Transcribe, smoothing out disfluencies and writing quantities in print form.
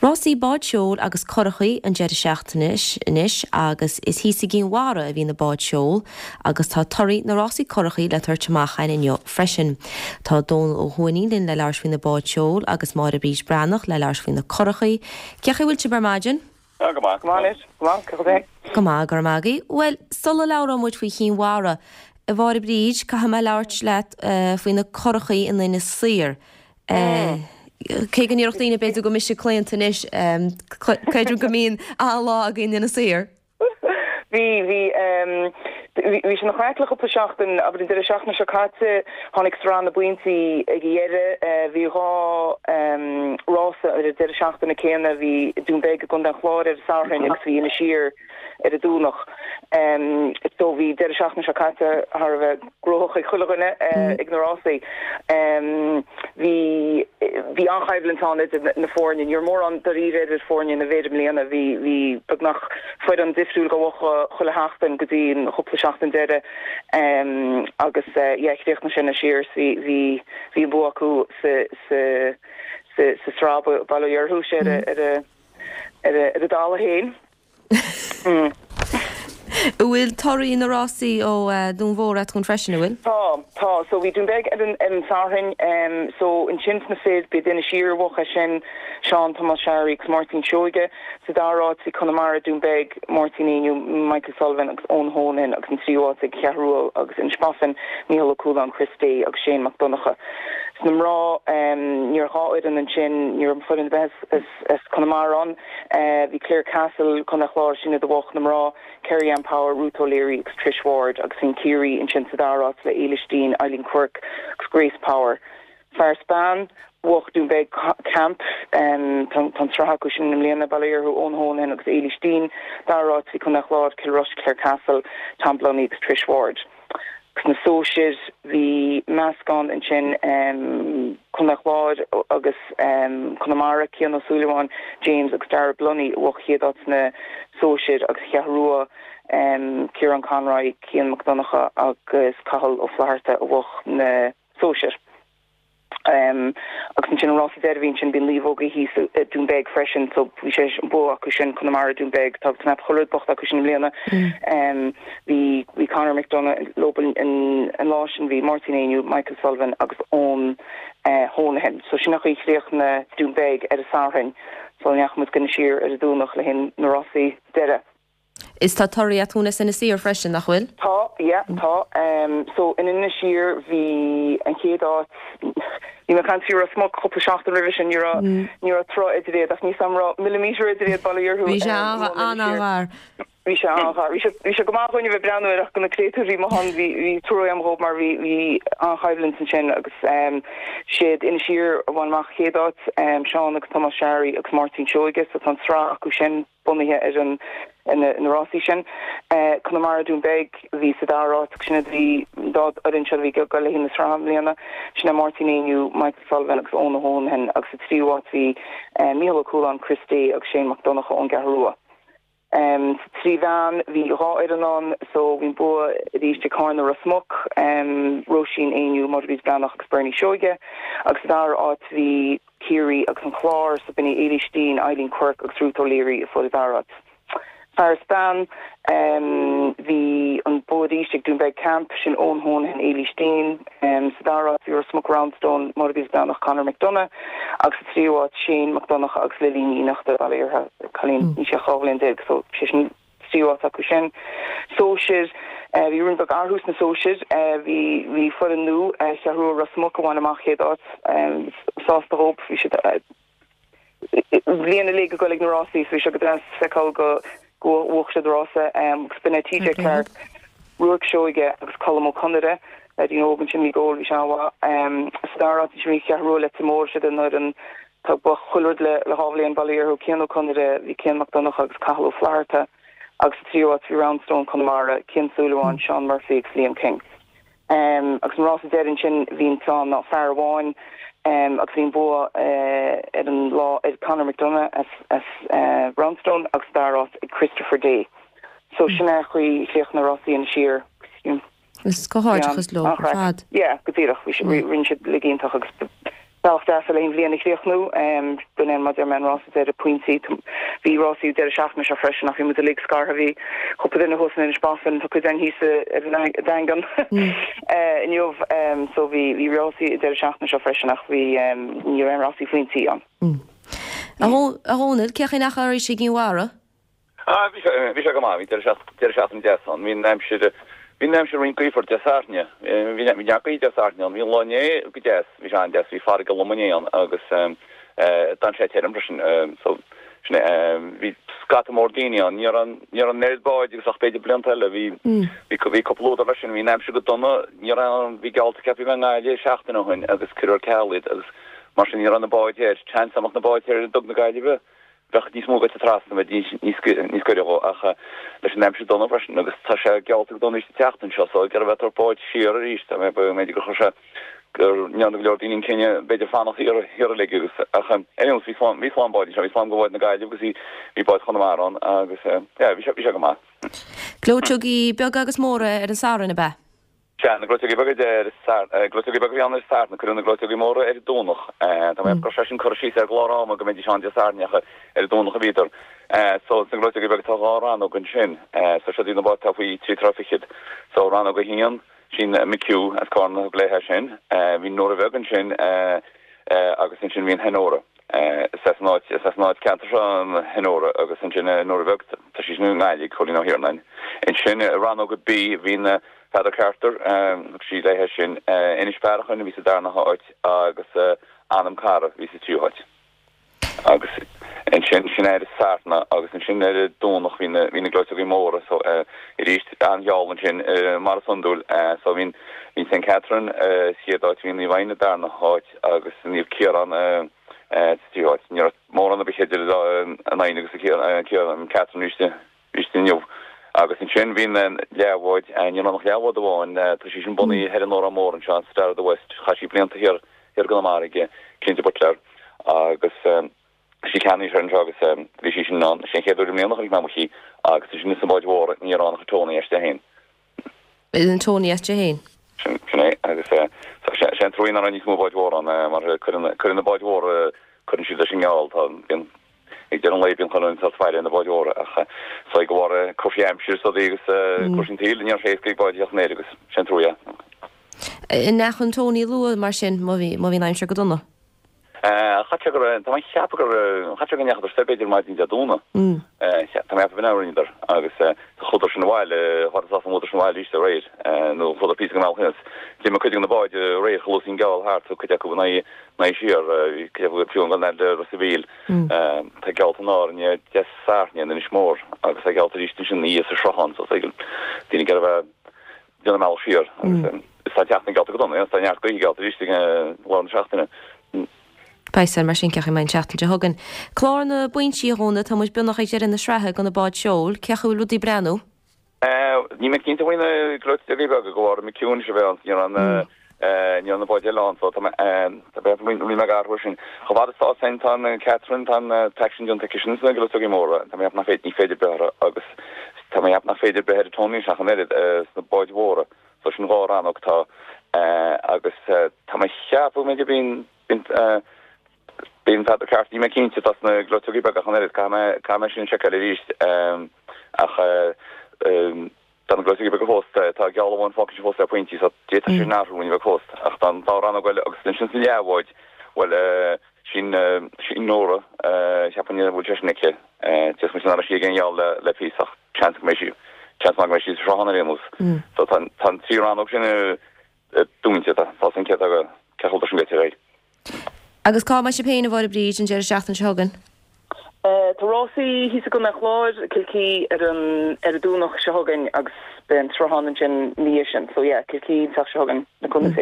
Rásaí báid seoil agus curachaí an deireadh seachtaine anois agus is thíos i gCinn Mhara a bhí na báid seoil agus tá torthaí na rásaí curachaí le tabhairt amach againn inniu freisin. Tá Dónal Ó hUaithnín linn le labhairt faoi na báid seoil agus Máire Bríd Breathnach le labhairt faoi na curachaí. Cén chaoi a bhfuil sibh ar maidin? Go maith. Go maith anois. Go maith. Cén chaoi? Go maith, go raibh maith agaibh. Bhuel, sula labhróidh muid faoi Chinn Mhara, a Mháire Bríd, caithfidh mé labhairt leat faoi na curachaí in Inis Oírr. Cé go ndéarfadh daoine b'fhéidir go bhfuil mise claonta anois, creidim go mbíonn an-lá againn in Inis Oírr. Bhí, bhí, bhí sé ina chraic le cúpla seachtain, abair an deireadh seachtaine seo caite, tháinig sraith na bpointí ag a dheireadh, bhí 2 rása ar an deireadh seachtaine céanna, bhí Dún Beag i gContae an Chláir ar an Satharn agus bhí Inis Oírr ar an Domhnach. So bhí deireadh seachtaine seo caite thar a bheith gnóthach ag chuile dhuine ag na rásaí. Bhí bhí an-choimhlint ann idir na foirne. Ní raibh mórán dáiríre idir foirne na bhfir i mbliana. Bhí bhí beagnach foireann difriúil ag buachan chuile sheachtain go dtí an chúpla seachtain deiridh. Agus yeah chríochnaigh sé in Inis Oírr bhí bhí bhí an bua acu sa sa sa sa sraith bail ó Dhia orthu sé ar a ar a ar a ar a dtalamh féin. An bhfuil torthaí na rásaí ó Dún Mhór agat freisin, an bhfuil? Tá, tá. So bhí Dún Beag ar an ar an Satharn. So ansin sna fir, b'iad Inis Oírr a bhuaigh é sin, Seán Tomás Sharry agus Máirtín Seoige. Sa dara háit bhí Conamara, Dún Beag, Máirtín Éinniú, Michael Sullivan agus Eoin Honohan agus an tríú háit ag Cheathrú Rua agus Inis Bofin, Mícheál Ó Cualáin, Chris Day agus Shane Mac Donncha. Sna mná, ní raibh 2 fhoireann ansin, ní raibh foireann ar bith as as Conamara ann. Bhí Clarecastle, Contae an Chláir, sin iad a bhuaigh na mná, Kerry Ann Power, Ruth O'Leary agus Trish Ward agus bhí an Ciarraí ansin sa dara háit le Éilis Deane, Eileen Quirke agus Grace Power. Fear is bean, bhuaigh Dún Beag Camp, tá an tsraith acu sin i mbliana, bail ó Dhia orthu, Eoin Honohan agus Éilis Deane. Dara háit bhí Contae an Chláir, Kilrush, Clarecastle, Tom Blunny agus Trish Ward. Sna sóisir bhí meascán ansin, Contae an Chláir agus Conamara, Cian Ó Súilleabháin, James agus Dara Blunny a bhuaigh chéad áit sna sóisir agus Cheathrú Rua, Ciarán Conroy, Cian Mac Donncha agus Cathal Ó Flatharta a bhuaigh na sóisir. Agus ansin an rása deiridh a bhí ansin, bhí an naomhógaí thíos i Dún Beag freisin so bhí sé an bua acu sin, Conamara, Dún Beag, tá cnap chuile rud bocht acu sin i mbliana. Bhí bhí Conor McDonagh leo an lá sin, bhí Máirtín Éinniú, Michael Sullivan agus Eoin Honohan. So sin an chaoi a chríochnaigh Dún Beag ar an Satharn sula ndeachaigh muid go Inis Oírr ar an Domhnach le haghaidh na rásaí deiridh. Is tá torthaí agat dúinn as Inis Oírr freisin, nach bhfuil? Tá, yeah, tá. So, in Inis Oírr bhí an chéad áit, bhí mé ag caint faoi Ros Muc cúpla seachtain roimhe sin, ní raibh, ní raibh troigh idir iad ach níl 's a'm an raibh millimetre idir iad, bail ó Dhia orthu. Bhí sé an-ghar. Bhí sé an-ghar. Bhí sé, bhí sé go maith dhúinn a bheith ag breathnú air ach do na créatúir a bhí amuigh ann bhí, bhí trua agam dhóibh mar bhí, bhí an-choimhlint ansin agus siad Inis Oírr a bhain amach an chéad áit, Seán agus Tomás Sharry agus Máirtín Seoige, so tá an tsraith acu sin. bunaithe ar an na rásaí sin. Conamara Dún Beag a bhí sa dara háit agus sin iad a bhí an dá fhoireann seo a bhí ag dul le haghaidh na sraithe i mbliana. Sin é Máirtín Éinniú, Michael Sullivan agus Eoin Honohan agus sa tríú háit bhí Mícheál Ó Cualáin, Chris Day agus Shane Mac Donncha ón gCeathrú Rua. Sa trí bhean bhí 2 fhoireann ann so bhí an bua arís ag Carna Ros Muc, Róisín Éinniú, Máire Bríd Breathnach agus Bernie Seoige agus sa dara háit bhí Ciarraí agus an Clár, so b'in í Éilís Deane, Eileen Quirke agus Ruth O'Leary a fuair an dara háit. Fear is bean, bhí an bua arís ag Doonbeg Camp, sin Eoin Honohan, Éilís Deane. Sa dara háit bhí Ros Muc Roundstone, Máire Bríd Breathnach, Conor McDonagh agus sa tríú háit Shane McDonagh agus Lily Ní Fhiannachta, bail ó Dhia uirthi, cailín, níl sí ach 12 bhliain so sé sin tríú háit acu sin. Sóisir, Bhí roinnt bheag athrú sna sóisir. Bhí bhí foireann nua, Cheathrú Rua Ros Muc a bhain amach chéad áit. Sásta dhóibh. Bhí siad bliain uilig ag dul ag na rásaí so bhí sé go deas feiceáil go go bhuaigh siad rása. Agus b'in é TJ Clarke, Ruairc Seoige agus Colm Ó Conaire. Leaidín óg ansin a bhí ag gabháil, bhí sé an-mhaith. Sa dara háit ansin bhí Cheathrú Rua Leitir Móir, siad an fhoireann Tá ag buachan chuile rud le 2 bhliain, bail ó Dhia orthu, Cian Ó Conaire, bhí Cian Mac Donncha agus Cathal Ó Flatharta agus sa tríú háit bhí Roundstone Conamara, Cian Súilleabháin, Seán Murphy agus Liam King. Agus an rása deiridh ansin bhí an t-ann ná fear amháin agus bhí an bua ar an lá ag Conor McDonagh as as Roundstone agus sa dara háit ag Christopher Day. So sin é an chaoi a chríochnaigh na rásaí in Inis Oírr. Is comhghairdeachas leo ar fad. Yeah, go díreach. Bhí rinne siad uilig iontach agus. Bealach deas le an bhliain a chríochnú. B'in é mar a deir mé an rása deiridh pointí. Bhí rásaí an deireadh seachtaine seo freisin ach bhí muid uilig scartha. Bhí cúpla duine thuas in Inis Bofin, tá cuid againn thíos ar an Daingean inniu. So bhí bhí rásaí an deireadh seachtaine seo freisin ach bhí ní raibh aon rásaí phointí ann. A Dhónaill, cén chaoi a ndeachaigh arís i gCinn Mhara? Ah, bhí sé, bhí sé go maith, bhí deireadh deireadh seachtaine deas ann. Bhí an aimsir, bhí an aimsir roinnt gaofar Dé Sathairn. Bhí, bhí neart gaoithe Dé Sathairn ann. Bhí an lá inné go deas, bhí sé an-deas, bhí farraige lom inné ann agus eh, d'fhan sé tirim freisin. So, sin é, bhí scata mór daoine ann. Ní raibh, ní raibh an oiread báid agus ach b'fhéidir blianta eile. Bhí, bhí, bhí cúpla údar leis sin. Bhí an aimsir go dona, ní raibh, bhí geallta ceaptha a bheith i nGaillimh seachtain ó shin agus cuireadh ar ceal iad agus mar sin ní raibh na báid thoir. Seans dá mbeadh na báid thoir i nDug na Gaillimhe, Bheadh níos mó goite trasna, bheadh níos gaire dhó, ach leis an aimsir dona freisin, agus tá sé geallta go dona arís an tseachtain seo, so ag iarraidh bheith ag tabhairt báid siar arís, tá mé, b'fhéidir gur chuir sé, go ndearna go leor daoine an cinneadh b'fhéidir fanacht thiar, thiar uilig agus, ach ar aon nós, bhí slám, bhí slám báid anseo, bhí slám de bháid na Gaillimhe agus bhí, bhí báid Chonamara ann agus yeah, bhí sé, bhí sé go maith. Gleoiteogaí beaga agus móra ar an Satharn, ab ea? Sea, na gleoiteogaí beaga ar an Satharn, gleoiteogaí beaga a bhí ann ar an Satharn, cuireadh na gleoiteogaí móra ar an Domhnach. Tá mé ag go raibh sé sin curtha síos ar an gclár ama go mbeidís ann Dé Sathairn ach ar an Domhnach a bhíodar. So, sna gleoiteogaí beaga tá dhá rannóg ansin. So, siod iad na báid atá faoi thrí troigh fichead. So, rannóg a haon, sin McHugh as Carna a thug léi é sin. Bhí Nóra Bheag ansin agus ansin bhí an Honora. Is as an áit, is as an áit ceantar seo an Honora agus ansin Nóra Bheag, tá sí sin i nGaillimh, Cóilín Ó hIarnáin. Ansin rannóg B, bhí na Peadar Carter, thug sí léi sin, Inis Bearachain a bhí sa darna háit agus Anam Cara a bhí sa tríú háit. Agus ansin, sin ar an Satharn agus ansin ar an Domhnach bhí na, bhí na gleoiteogaí móra so arís an-gheall ansin mar is iondúil. So bhí, bhí Saint Catherine sa chéad áit, bhí Naomh Adhamhnáin sa darna háit agus Naomh Ciarán sa tríú háit. Ní raibh mórán ar bith idir an Adhamhnáin agus Ciarán, Catherine arís. Arís inniu. Agus ansin bhí na leathbháid, ní raibh ach leathbhád amháin, tá sí sin bunaithe thoir in Órán Mór anseo, an Star of the West, chaith sí blianta thiar i gConamara ag Cinnte Butler agus sí ceannaithe anseo agus bhí sí sin ann, sé an chéad uair i mbliana a chonaic mé amuigh í agus ansin sna báid mhóra ní raibh ann ach Tony as Dé féin. An Tony as Dé féin. Sin é agus sé an truaí nach raibh níos mó báid mhóra ann mar cuireann na báid mhóra, cuireann siad leis an ngeall, tá, bíonn. Ag deireadh an lae bíonn chuile dhuine sórt faire ar na báid mhóra ach is dóigh de bharr cúrsaí aimsire is rudaí agus cúrsaí an tsaoil ní raibh sé éasca ag báid a theacht in aer agus sé an trua é. An ndeachaigh an Tony luath mar sin má bhí má bhí an aimsir go dona? Chaithfeadh sé go raibh, tá mé ag ceapadh gur, chaithfeadh sé go ndeachadar soir b'fhéidir maidin Dé Domhnaigh. Tá mé ag ceapadh b'in a rinneadar agus chuadar sin abhaile, chuadar sásta chuadar sin abhaile arís aréir nó chuadar píosa den bhealach aníos. D'imigh cuid de na báid aréir chomh luath is a bhí an geall thart, cuid acu in aghaidh in aghaidh siar, bhí cuid acu fiú ag dul fhad le Ros a' Mhíl. Tá geallta in Árainn Dé Sathairn in Inis Mór agus tá geallta arís ansin ina dhiaidh sa Sruthán so daoine ag iarraidh a bheith ag déanamh a mbealach siar agus is tá an tseachtain geallta go dona, tá neart gaoithe geallta arís ag lár na seachtaine. Beidh a fhios againn mar sin cén chaoi a mbeidh an tseachtain seo chugainn. Clár na bpointí, a Dhónaill, tá muid beagnach ag deireadh na sraithe do na báid seoil. Cén chaoi a bhfuil rudaí ag breathnú? Níl mé cinnte faoi na gleoiteogaí beaga de bharr McHugh anois a bheith ann, ní raibh na ní raibh na báid eile ann so tá mé tá mé rinne mé athrú sin. Chomh fada is atá san tá an Catherine tá an t-aicsean déanta aici sin sna gleoiteogaí móra tá mé ag ceapadh nach féidir ní féidir breith orthu agus tá mé ag ceapadh nach féidir breith ar an Tony ach an oiread sna báid mhóra so sin dhá rannóg atá agus tá mé ag ceapadh go mb'fhéidir bíonn bíonn Bíonn Peadar Carter, níl mé cinnte, tá sna gleoiteogaí beaga ach an oiread, caithfidh mé, caithfidh mé sin a sheiceáil arís. Ach tá na gleoiteogaí beaga fós, tá geall amháin fágtha ansin fós le pointí, so d'fhéadfadh sé sin athrú ní bheadh fós. Ach tá an dá rannóg eile agus ansin sna leathbháid, bhuel, sin, sin Nóra, cheapfainn go bhfuil sé sin aici. D'fhéadfadh muid nach raibh sí ag aon gheall le, le píosa ach seans go mbeidh sí, seans maith go mbeidh sí sa sruthán ar aon nós. So tá, tá an trí rannóg sin dúnta, tá, tá san céad acu, cé chomh sin goite ar aghaidh. Agus cá mbeidh sibh féin, a Mháire Bríd, an deireadh seachtaine seo chugainn? Tá rásaí thíos i gContae an Chláir, Kilkee, ar an ar an Domhnach seo chugainn agus beidh an Sruthán ansin ina dhiaidh sin. So yeah, Kilkee an tseachtain seo chugainn, le cúnamh Dé.